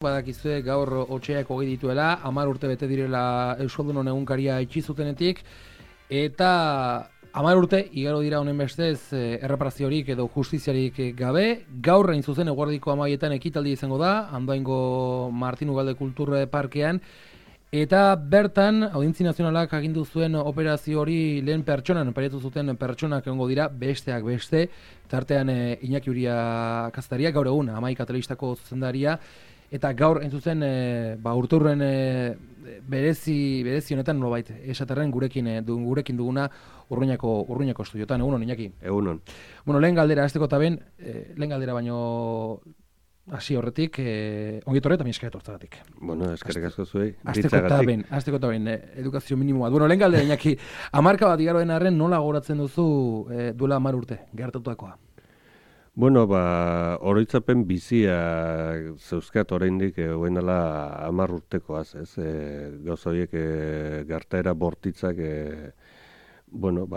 Badakizue gaur otxeak hogei dituela, 10 urte bete direla Euskaldunon egunkaria itxi zutenetik, eta 10 urte igaro dira honen bestez erreparaziorik edo justiziarik gabe. Gaur hain zuzen eguerdiko 12etan ekitaldi izango da, Andoaingo Martin Ugalde Kultur Parkean, eta bertan Audientzi Nazionalak agindu zuen operazio hori lehen pertsonan, paretu zuten pertsonak egongo dira, besteak beste, tartean Iñaki Uria kazetaria, gaur egun Hamaika telebistako zuzendaria, eta gaur entzuzen urturren berezi honetan nolabait esaterren gurekin duguna Urruñako estudiotan. Egunon, Iñaki. Egunon. Bueno, lehen galdera hasteko eta lehen galdera baino hasi horretik, ongi etorri eta mila esker etortzagatik. Bueno, eskerrik asko zuei. Hasteko eta edukazio minimoa. Bueno, lehen galdera, Iñaki, 10 bat igaro den arren nola goratzen duzu duela 10 urte gertatutakoa? Bueno, oroitzapen bizia zeuzkat oraindik hoenala 10 urtekoaz, ez? Gauza horiek gertaera bortitzak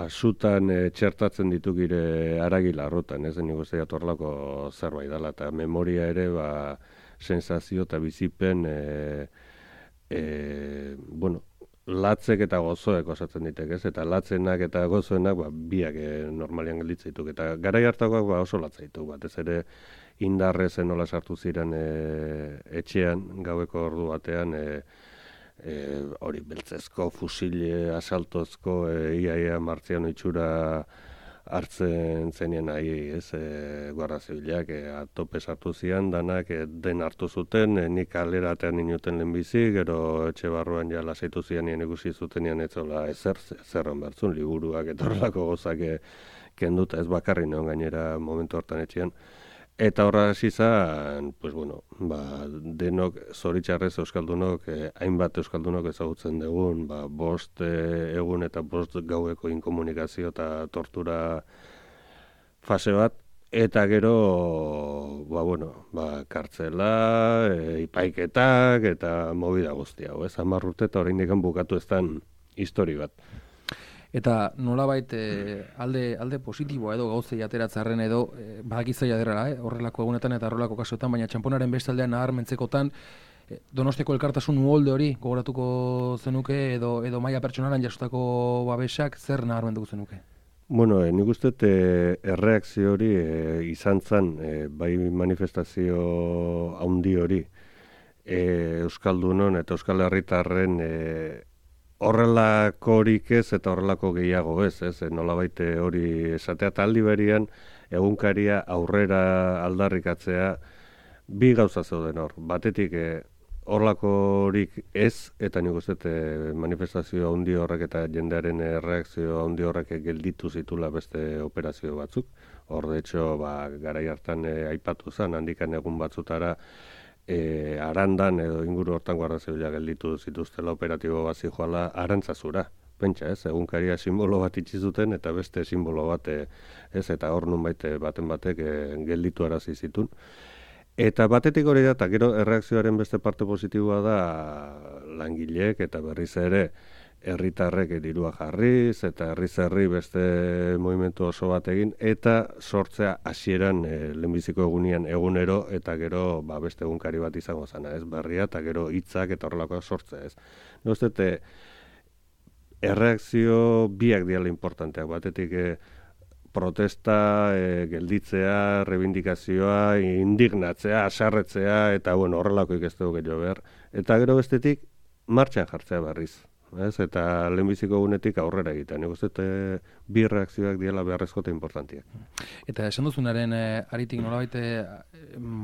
sutan txertatzen ditu gire aragila arrotan, ez? Nik uste jatorlako zerbait dela, eta memoria ere sensazio eta bizipen latzek eta gozoek osatzen ditek, ez? Eta latzenak eta gozoenak biak normalian gelditzen dituk. Eta garai hartakoak oso latza dituk, batez ere indarrezen nola sartu ziren etxean, gaueko ordu batean, hori beltzezko, fusile, asaltozko, iaia martziano itxura hartzen zenien nahi, ez, Guardia Zibilak atope sartu zian, danak den hartu zuten, nik kalera atean inuten lehenbizi, gero etxe barruan ja lasaitu zian nien ikusi zutenian etzola zerran bertzun, liburuak eta horrelako gozak kenduta, ez bakarri neon gainera momentu hortan etxean. Eta horra hasi zan, denok zoritxarrez euskaldunok, hainbat euskaldunok ezagutzen dugun, 5 egun eta 5 gaueko inkomunikazio eta tortura fase bat, eta gero, kartzela, ipaiketak eta movida guztia, 10 urte eta oraindik bukatu ez den histori bat. Eta nolabait alde positiboa edo gauzei ateratzarren edo badakizaia derrela, horrelako egunetan eta horrelako kasuetan, baina txamponaren bestaldean naharmentzekotan Donosteko elkartasun uholde hori gogoratuko zenuke edo maila pertsonalan jasotako babesak zer naharmenduko zenuke? Bueno, nik uste erreakzio hori izan zen, bai manifestazio handi hori Euskaldunon eta Euskal Herritarren horrelakorik ez eta horrelako gehiago ez, nolabait hori esatea eta aldi berian egunkaria aurrera aldarrikatzea bi gauza zeuden hor. Batetik horrelakorik ez eta nik uste manifestazio handi horrek eta jendearen reakzio handi horrek gelditu zitula beste operazio batzuk. Hor de hecho, garai hartan aipatu zen, handikan egun batzutara Arandan edo inguru hortan Guardia Zibila gelditu zituztela operatibo bat zijoala Arantzazura. Pentsa, egunkaria simbolo bat itxi zuten eta beste simbolo bat, eta hor nunbait baten batek gelditu arazi zitun. Eta batetik hori da, eta gero erreakzioaren beste parte positiboa da langileek eta berriz ere herritarrek dirua jarriz eta herri beste movimentu oso bat egin eta sortzea hasieran lehenbiziko egunean egunero eta gero beste egunkari bat izango zana, ez berria eta gero hitzak eta horrelakoak sortzea, ez. Nozte, erreakzio biak diala importanteak, batetik protesta, gelditzea, reivindikazioa, indignatzea, asarretzea eta horrelakoik ez dugu gehiago behar. Eta gero bestetik martxan jartzea berriz. Eta lehenbiziko egunetik aurrera egiten. Nik uste bi reakzioak diela beharrezko eta importantiak. Eta esan duzunaren aritik nolabait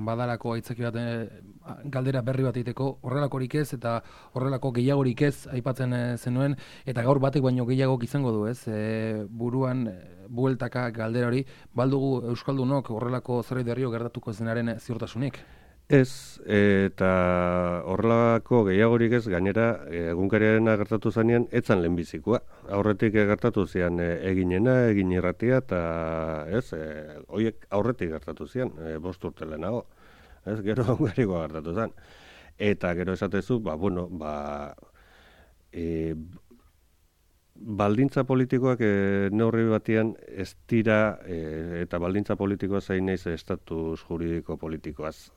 badalako aitzaki bat galdera berri bat egiteko horrelakorik ez eta horrelako gehiagorik ez aipatzen zenuen eta gaur batek baino gehiagok izango du, ez? Buruan bueltaka galdera hori, baldugu euskaldunok horrelako zerbait berrio gertatuko zenaren ziurtasunik? Ez, eta horrelako gehiagorik ez, gainera, egunkariaren gertatu zanean, etzan lehenbizikoa. Aurretik gertatu zian eginena, egin irratia, eta horiek aurretik gertatu zian, 5 urte lehenago. Ez, gero egunkarikoa gertatu zen. Eta gero esatezu, baldintza politikoak neurri batean ez dira, eta baldintza politikoa zain naiz estatus juridiko politikoaz.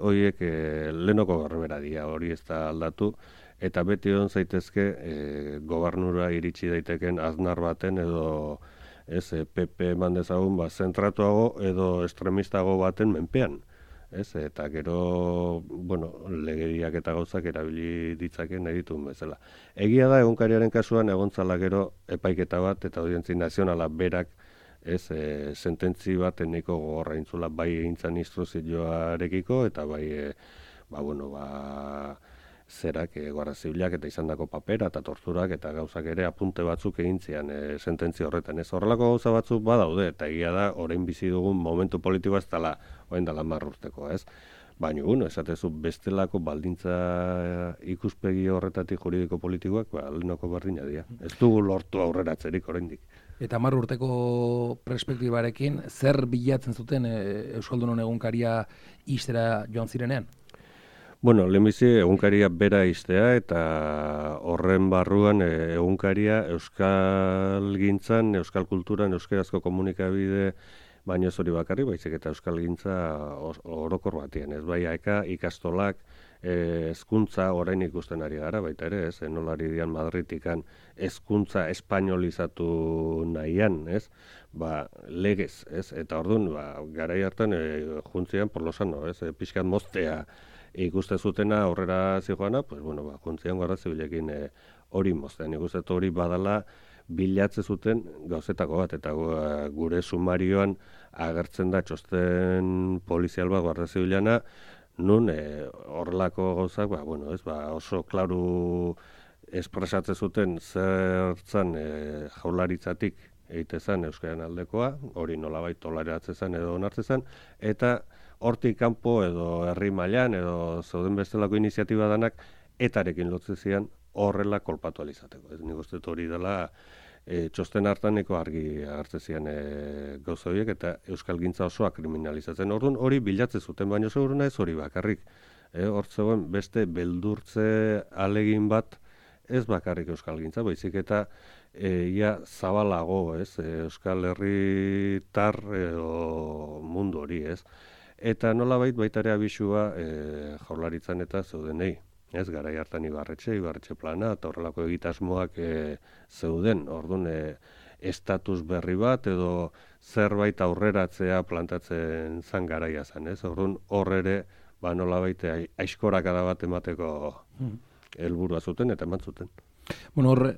Horiek lehenoko garbera dira, hori ez da aldatu, eta beti hon zaitezke gobernura iritsi daiteken aznar baten edo PP eman dezagun zentratuago edo estremistago baten menpean. Eta gero, legediak eta gauzak erabili ditzaken nahi dituen bezala. Egia da, egunkariaren kasuan egontzala gero epaiketa bat eta audientzi nazionala berak sententzi bat eneko gogorra intzula bai egintzan instruzioarekiko eta bai, zerak, Guardia Zibilak eta izandako papera eta torturak eta gauzak ere apunte batzuk egin zian sententzi horretan. Horrelako gauza batzuk badaude eta egia da, orain bizi dugun momentu politikoa ez dela, orain dela 10 urteko, Baina, esatezu bestelako baldintza ikuspegi horretatik juridiko politikoak, lehenoko berdina dira. Ez dugu lortu aurreratzerik oraindik. Eta 10 urteko perspektibarekin, zer bilatzen zuten Euskaldunon egunkaria ixtera joan zirenean? Lehenbizi egunkaria bera iztea eta horren barruan egunkaria euskalgintzan, euskal kulturan, euskarazko komunikabide baino ez hori bakarri, baizik eta euskalgintza orokor batien. Ez bai ikastolak, hezkuntza orain ikusten ari gara, baita ere, nolari dian Madritikan hezkuntza espainolizatu nahian, legez, eta orduan, garai hartan juntzian porlosano, pixkat moztea, ikuste zutena aurrera zijoana, juntzian Guardia Zibilekin hori moztean. Ikuste hori badala bilatze zuten gauzetako bat, eta gure sumarioan agertzen da txosten polizial bat Guardia Zibilana, nun horrelako gauzak, oso klaru espresatzen zuten zertzan jaularitzatik egitezan euskaren aldekoa, hori nolabait toleratzen zen edo onartzen zen, eta hortik kanpo edo herri mailan edo zeuden bestelako iniziatiba danak etarekin lotzen zian horrela kolpatu alizateko. Nik uste hori dela txosten hartaneko argi agertzen zian gauza horiek eta euskalgintza osoa kriminalizatzen. Orduan hori bilatzen zuten, baina seguruna ez hori bakarrik. Hor zegoen beste beldurtze alegin bat ez bakarrik euskalgintza, baizik eta ia zabalago, Euskal Herritar edo mundu hori, Eta nolabait baita ere abisua jaurlaritzan eta zeudenei. Garai hartan Ibarretxe plana eta horrelako egitasmoak zeuden. Orduan estatus berri bat edo zerbait aurreratzea plantatzen zan garaia zen. Orduan hor ere nolabait aizkorakada bat emateko helburua zuten eta eman zuten. Hor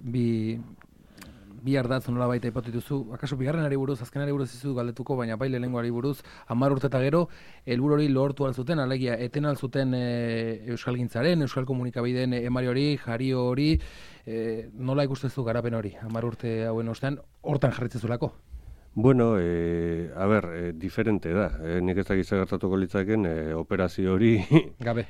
bi ardatz nola baita ipatu dituzu, akaso bigarrenari buruz, azkenari buruz izu galdetuko, baina bai lehenengoari buruz, 10 urte eta gero, helburu hori lortu alzuten, alegia, eten alzuten euskalgintzaren, euskal komunikabideen emari hori, jario hori, nola ikustezu garapen hori, 10 urte hauen ostean, hortan jarritzezulako? Diferente da. Nik ez dakit gertatuko litzaken operazio hori gabe,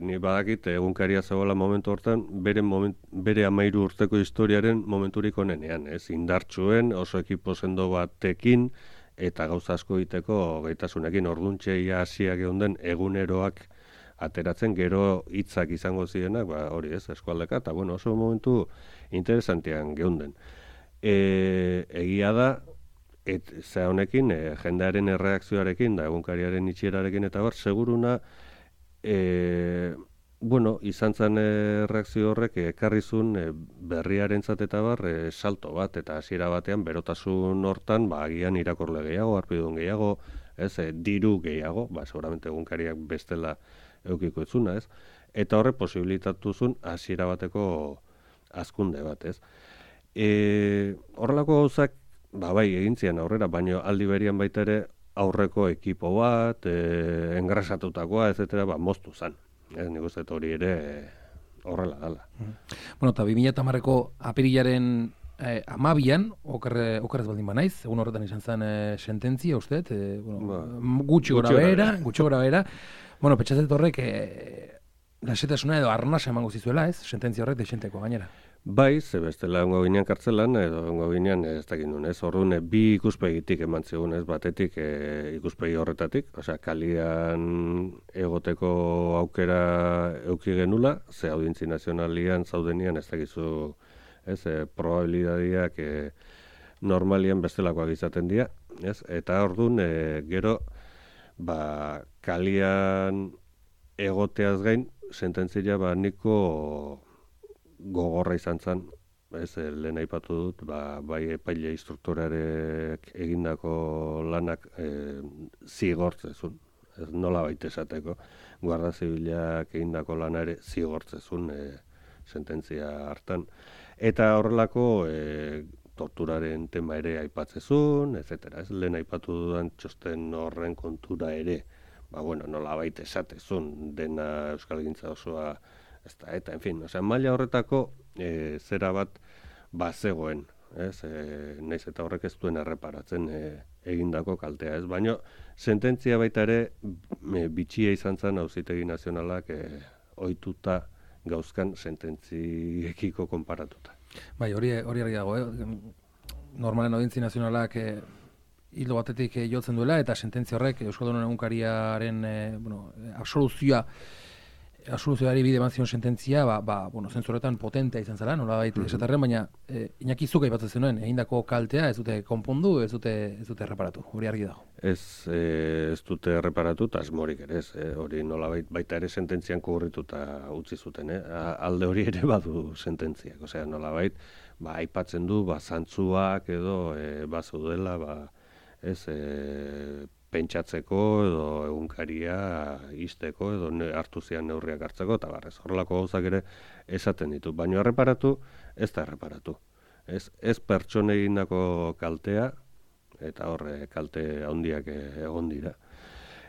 Ni badakit egunkaria zegoela momentu hortan bere 13 urteko historiaren momenturik onenean, indartsuen, oso ekipo sendo batekin eta gauza asko egiteko gaitasunekin orduntxeia hasiak geunden eguneroak ateratzen gero hitzak izango zirenak, hori eskualdeka, eta oso momentu interesantean geunden. Egia da, ze honekin, jendearen erreakzioarekin, da egunkariaren itxierarekin eta seguruna, izan zen reakzio horrek ekarrizun berriarentzat eta salto bat, eta hasiera batean berotasun hortan, agian irakorle gehiago, harpidun gehiago, diru gehiago, seguramente egunkariak bestela eukiko etzuna, eta horre posibilitatuzun hasiera bateko hazkunde bat, horrelako gauzak, egin zian aurrera, baina aldi berian baita ere aurreko ekipo bat, engrasatutakoa, etc., moztu zen. Nik uste hori ere horrela dala. Eta 2010ko apirilaren 12an, okerrez baldin banaiz, egun horretan izan zen sententzia, uste, gutxi gora behera. Petxatzet horrek lasetasuna edo arnasa emango zizuela, sententzia horrek desenteko gainera. Bai, ze bestela ongo ginean kartzelan, edo ongo ginean ez dakit nun, orduan bi ikuspegitik eman zigun, batetik ikuspegi horretatik, kalian egoteko aukera euki genula, ze audientzi nazionalian zaudenian ez dakizu ez, probabilidadiak normalian bestelakoak izaten dira, ez, eta orduan, gero, kalian egoteaz gain, sententzia niko gogorra izan zen, ez, lehen aipatu dut, bai epaile instruktorarek egindako lanak zigortzezun, ez nola baita esateko, Guardia Zibilak egindako lana ere zigortzezun sententzia hartan. Eta horrelako torturaren tema ere aipatzezun, etc. Ez lehen aipatu dudan txosten horren kontura ere, nola baita esatezun, dena euskalgintza osoa, eta, en fin, maila horretako zera bat bazegoen, ez, naiz eta horrek ez duen erreparatzen egindako kaltea, ez, baina sententzia baita ere bitxia izan zen Auzitegi Nazionalak ohituta gauzkan sententziekiko konparatuta. Bai, hori argi dago, normalen Audientzi Nazionalak hildo batetik jotzen duela, eta sententzia horrek Euskaldunon Egunkariaren absoluzioari bide eman zion sententzia, zentzuretan potentea izan zela, nolabait esatarren, baina Iñaki zuk aipatzen zenuen, egindako kaltea ez dute konpondu, ez dute erreparatu, hori argi dago. Ez dute erreparatu, eta asmorik ere, hori nolabait baita ere sententzian kuburrituta utzi zuten, alde hori ere badu sententziak, osea nolabait, aipatzen du, zantzuak edo bazaudela, pentsatzeko edo egunkaria izteko edo hartu zian neurriak hartzeko, eta barrez, horrelako gauzak ere esaten ditu. Baina erreparatu, ez da erreparatu. Ez pertsone egindako kaltea, eta horre kalte handiak egon dira.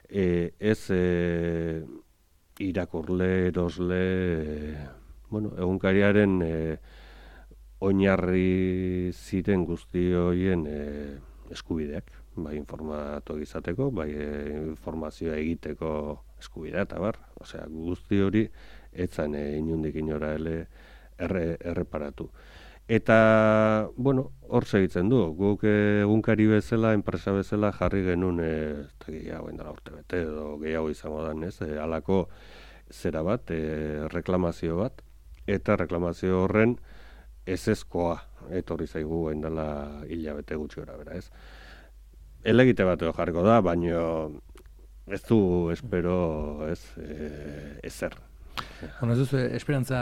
Ez irakurle, erosle, egunkariaren oinarri ziren guzti horien eskubideak. Bai informatu izateko, bai informazioa egiteko eskubidea, eta osea, guzti hori etzan inundik inora erreparatu. Eta, hor segitzen du, guk egunkari bezala, enpresa bezala jarri genuen, eta gehiago indala urte bete, edo gehiago izango da, halako zera bat, reklamazio bat, eta reklamazio horren ezezkoa etorri zaigu indala hilabete gutxi gora bera, ez? Elegite bat jarriko da, baina ez du espero ezer. Ez duzu, esperantza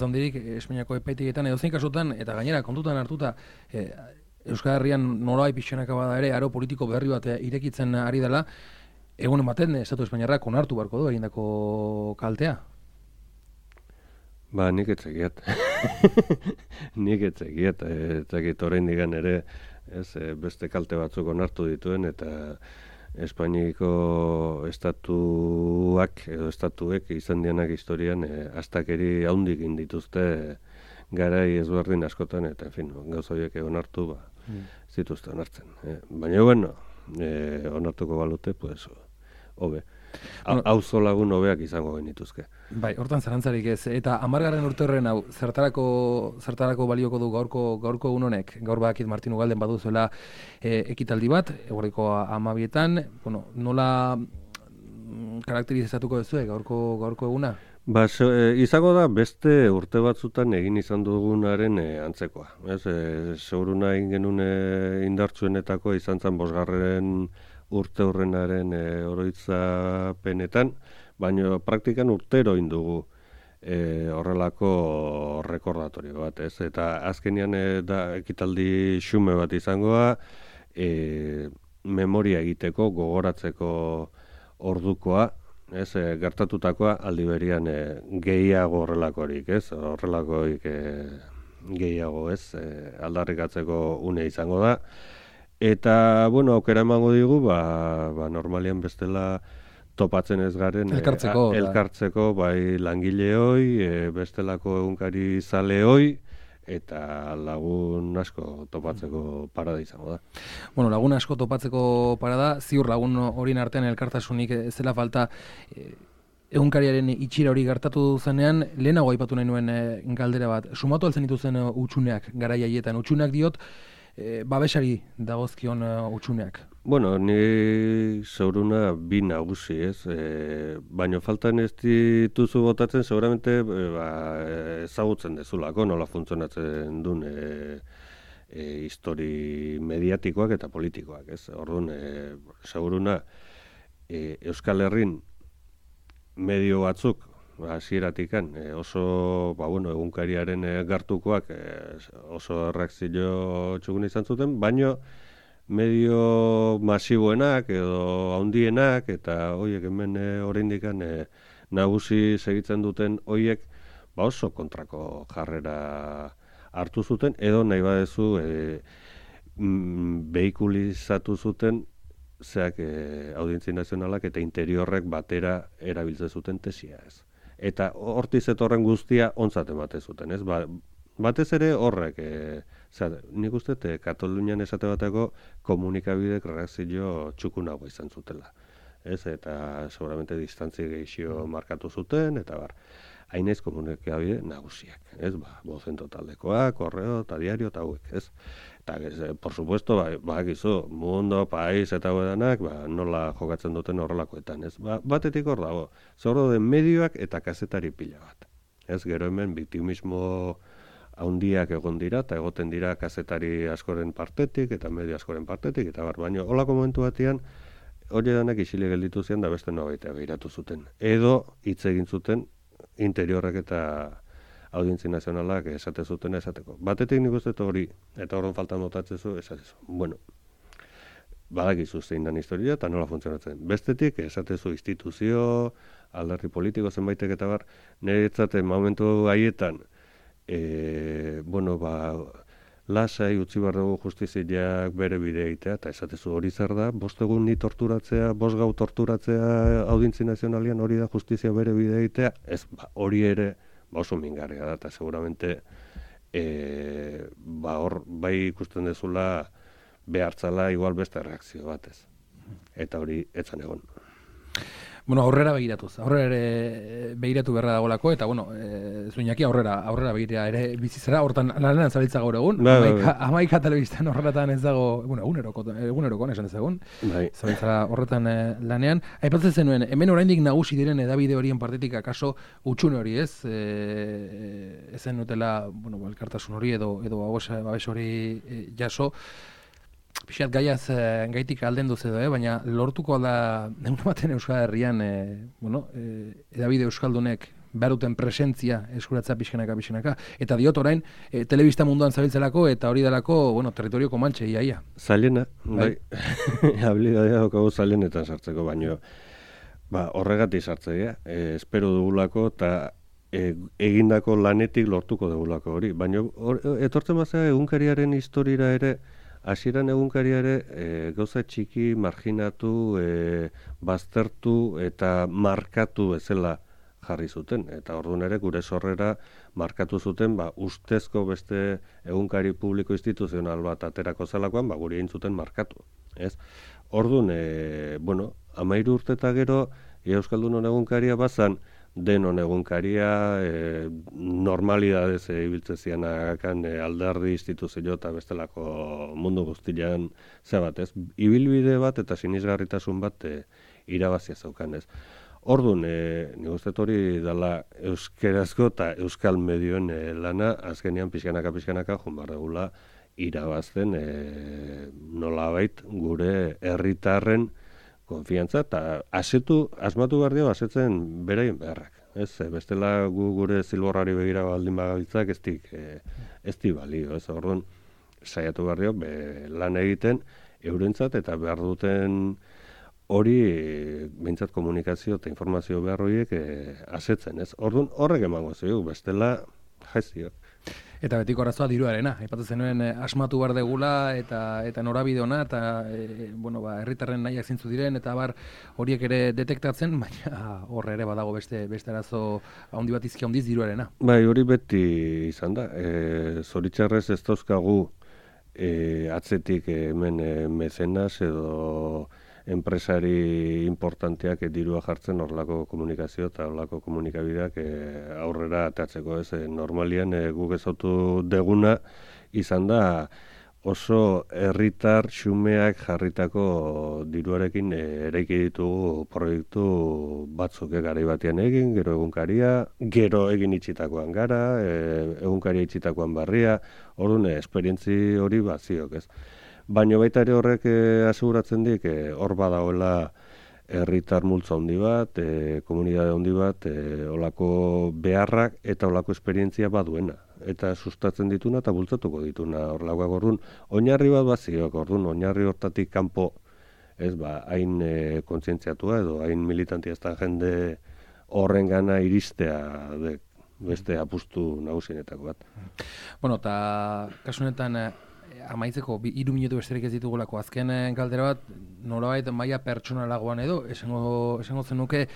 handirik Espainiako epaitegetan edo zein kasutan, eta gainera kontutan hartuta, Euskal Herrian nolabait pixkanaka bada ere, aro politiko berri bat irekitzen ari dela, egunen baten Estatu Espainiarrak onartu beharko du egindako kaltea? Nik etzegiat. Nik etzegiat, eta orain digan ere, beste kalte batzuk onartu dituen, eta Espainiko estatuak edo estatuek izan dianak historian astakeri haundik indituzte garai ezberdin askotan, eta en fin, gauza horiek onartu zituzte onartzen. Baina, onartuko balute, pues, hobe. Auzo lagun hobeak izango genituzke. Bai, hortan zarantzarik ez. Eta 10. urte horren hau, zertarako balioko du gaurko egun honek? Gaur bakit Martin Ugalden baduzuela ekitaldi bat, eguerdiko 12etan, nola karakterizatuko duzue gaurko eguna? Izango da beste urte batzutan egin izan dugunaren antzekoa. Seguruna egin genuen indartsuenetako izan zen 5. urte horrenaren oroitzapenetan, baina praktikan urtero indugu horrelako rekordatorio bat, ez? Eta azkenean da ekitaldi xume bat izangoa, memoria egiteko, gogoratzeko ordukoa, ez? Gertatutakoa aldi berian gehiago horrelakorik, ez? Horrelakorik gehiago, ez? Aldarrikatzeko une izango da. Eta, aukera emango digu, normalian bestela topatzen ez garen elkartzeko bai langileoi, bestelako egunkari zaleoi, eta lagun asko topatzeko parada izango da. Lagun asko topatzeko parada, ziur lagun horien artean elkartasunik ez dela falta, egunkariaren itxira hori gertatu zenean, lehenago aipatu nahi nuen galdera bat, sumatu altzen dituzen utxuneak garai haietan, utxuneak diot, babesari dagozkion hutsuneak? Bueno, ni zauruna bi nagusi, ez? Baina faltan ez dituzu botatzen, seguramente ezagutzen dezulako, nola funtzionatzen duen histori mediatikoak eta politikoak, ez? Orduan, zauruna Euskal Herrin medio batzuk, hasieratikan oso, egunkariaren gartukoak oso erreakzio txukun izan zuten, baino medio masiboenak edo handienak eta hoiek hemen oraindik nagusi segitzen duten hoiek oso kontrako jarrera hartu zuten edo nahi badezu behikulizatu zuten audientzia nazionalak eta interiorrek batera erabiltzen zuten tesia, ez. Eta hortiz etorren guztia ontzat emate zuten, ez? Batez ere horrek, nik uste Katalunian esate bateko komunikabidek reakzio txukunagoa izan zutela. Ez, eta seguramente distantzia gehixio markatu zuten, eta hainez komunikabide nagusiak. Ez, Bocento taldekoak, Korreo, eta Diario, eta hauek, ez. Eta, por supuesto, bakizu, Mundo, País, eta hauedanak, nola jokatzen duten horrelakoetan, ez. Batetik hor dago, zorro den medioak eta kazetari pila bat. Ez, gero hemen biktimismo haundiak egon dira, eta egoten dira kazetari askoren partetik, eta medio askoren partetik, eta baina holako momentu batean, hori danak isile gelditu zian, da beste nobaitea behiratu zuten. Edo, hitz egin zuten, interiorrek eta audientzia nazionalak esate zuten esateko. Batetik nik uste hori, eta horren faltan botatzezu, esatezu. Bueno, badakizu zein dan historia, eta nola funtzionatzen. Bestetik, esatezu instituzio, alderdi politiko zenbaitek eta niretzate momentu haietan, lasai utzi behar dugu justiziak bere bidea egitea, eta esatezu hori zer da, 5 egun ni torturatzea, 5 gau torturatzea audientzia nazionalian hori da justizia bere bidea egitea, ez, hori ere oso mingarria da, eta seguramente hor bai ikusten dezula behartzala igual beste reakzio batez. Eta hori etzan egon. Bueno, aurrera begiratuz. Aurrera ere begiratu berra dagolako, eta Zuinaki aurrera begira ere bizizera, hortan lanean zabiltza gaur egun. Amaika telebistan horretan ez dago, eguneroko esan ez egun. Zabiltzara horretan lanean. Aipatzen zenuen, hemen oraindik nagusi diren edabide horien partetik akaso utxune hori, ez? Ezen nutela, elkartasun hori edo babes hori jaso. Pixat gaitik aldendu edo, baina lortuko da egun baten Euskal Herrian edabide euskaldunek behar duten presentzia eskuratza pixkanaka. Eta diot orain, telebista munduan zabiltzelako eta hori delako, territorio komaltxe, iaia. Zailena, bai. Habilidadea daukagu zailenetan sartzeko, baino horregatik sartzea, espero dugulako eta egindako lanetik lortuko dugulako hori. Baina etortzen bazea egunkariaren historiara ere, hasieran egunkaria ere gauza txiki marginatu, baztertu eta markatu bezala jarri zuten. Eta orduan ere gure sorrera markatu zuten ustezko beste egunkari publiko instituzional bat aterako zelakoan guri egin zuten markatu. Orduan, 13 urte eta gero Euskaldunon egunkaria bazan denon egunkaria, normalidadez ibiltzen zianakan alderdi instituzio eta bestelako mundu guztian bat, ez? Ibilbide bat eta sinisgarritasun bat irabazia zeukan, ez? Orduan, nik uste hori dela euskerazko eta euskal medioen lana, azkenean pixkanaka joan behar dugula irabazten nolabait gure herritarren konfiantza eta asmatu behar dio asetzen beraien beharrak. Bestela gure zilborrari begira baldin bagabiltzak ez di balio. Orduan, saiatu behar dio lan egiten eurentzat eta behar duten hori behintzat komunikazio eta informazio behar horiek asetzen. Orduan, horrek emango zeu, bestela jaizio. Eta betiko arazoa diruarena. Aipatzen zenuen asmatu behar degula eta norabide ona eta herritarren nahiak zintzu diren eta horiek ere detektatzen, baina horre ere badago beste arazo handi bat izki handiz diruarena. Bai, hori beti izan da. Zoritxarrez ez dauzkagu atzetik hemen mecenas edo enpresari importanteak dirua jartzen horrelako komunikazio eta horrelako komunikabideak aurrera atatzeko. Normalian guk ezautu deguna izan da oso herritar xumeak jarritako diruarekin eraiki ditugu proiektu batzuk garai batean egin, gero egunkaria, gero egin itxitakoan gara, egunkaria itxitakoan barria, orduan esperientzi hori baziok, ez. Baina baita ere horrek aseguratzen dik, hor badagoela herritar multzo handi bat, komunitate handi bat, olako beharrak eta olako esperientzia baduena. Eta sustatzen dituna eta bultzatuko dituna horlakoak orduan. Oinarri bat baziok, orduan, oinarri hortatik kanpo, ez hain kontzientziatua edo hain militantia ez da jende horren gana iristea beste apustu nagusienetako bat. Bueno, eta kasu honetan amaitzeko 3 minutu besterik ez ditugulako azken galdera bat, nolabait maila pertsonalagoan edo, esango zenuke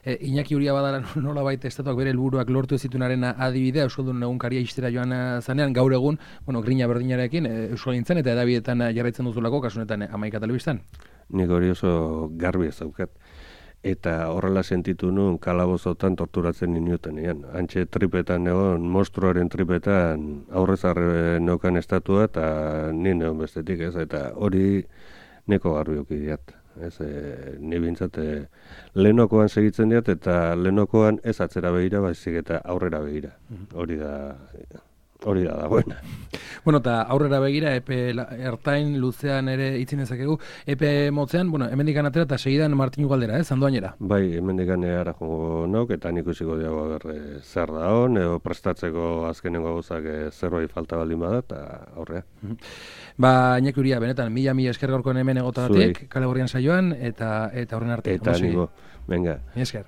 Iñaki Uria badara nolabait estatuak bere helburuak lortu ez zituenaren adibidea, Euskaldun egunkaria ixtera joan zanean, gaur egun, grina berdinarekin Euskalgintzan eta edabidetan jarraitzen duzulako, kasu honetan Hamaika Telebistan? Nik hori oso garbi ez daukat. Eta horrela sentitu nuen kalabozotan torturatzen inutenean. Antxe tripetan egon, monstruaren tripetan aurrezarre neukan estatua eta ni neon bestetik ez, eta hori neko garbi diat. Ez, ni bintzat lehenokoan segitzen diat eta lehenokoan ez atzera begira, baizik eta aurrera begira. Hori da dagoena. Bueno, eta aurrera begira, epe ertain luzean ere itzin ezakegu, epe motzean, hemendikan atera eta segidan Martinu galdera, Andoainera? Bai, hemendikan ara jongo nauk, eta nik ikusiko diago zer da hon, edo prestatzeko azkenengo gauzak zerbait falta baldin bada, eta aurrea. Iñaki Uria, benetan, mila esker gaurkoen hemen egotagatik, kale gorrian saioan, eta horren arte. Eta niko, venga. Esker.